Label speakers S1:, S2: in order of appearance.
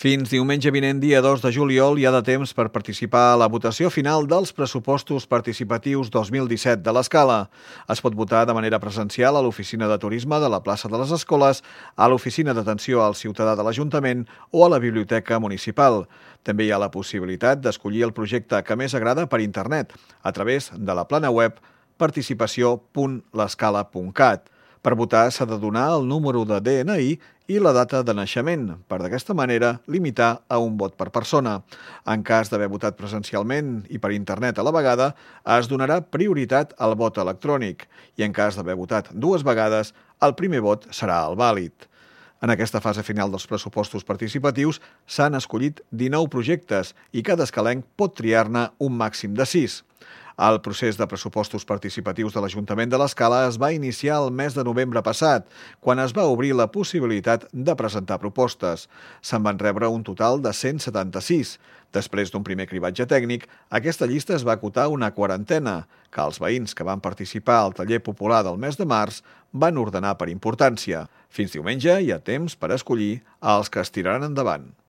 S1: Fins diumenge vinent, dia 2 de juliol, hi ha de temps per participar a la votació final dels pressupostos participatius 2017 de l'Escala. Es pot votar de manera presencial a l'oficina de turisme de la plaça de les Escoles, a l'oficina d'atenció al ciutadà de l'Ajuntament o a la biblioteca municipal. També hi ha la possibilitat d'escollir el projecte que més agrada per internet, a través de la plana web participació.lescala.cat. Per votar s'ha de donar el número de DNI i la data de naixement, per d'aquesta manera limitar a un vot per persona. En cas d'haver votat presencialment i per internet a la vegada, es donarà prioritat al vot electrònic i en cas d'haver votat dues vegades, el primer vot serà el vàlid. En aquesta fase final dels pressupostos participatius s'han escollit 19 projectes i cada escalenc pot triar-ne un màxim de 6. El procés de pressupostos participatius de l'Ajuntament de l'Escala es va iniciar el mes de novembre passat, quan es va obrir la possibilitat de presentar propostes. Se'n van rebre un total de 176. Després d'un primer cribatge tècnic, aquesta llista es va acotar una quarantena, que els veïns que van participar al taller popular del mes de març van ordenar per importància. Fins diumenge hi ha temps per escollir els que es tiraran endavant.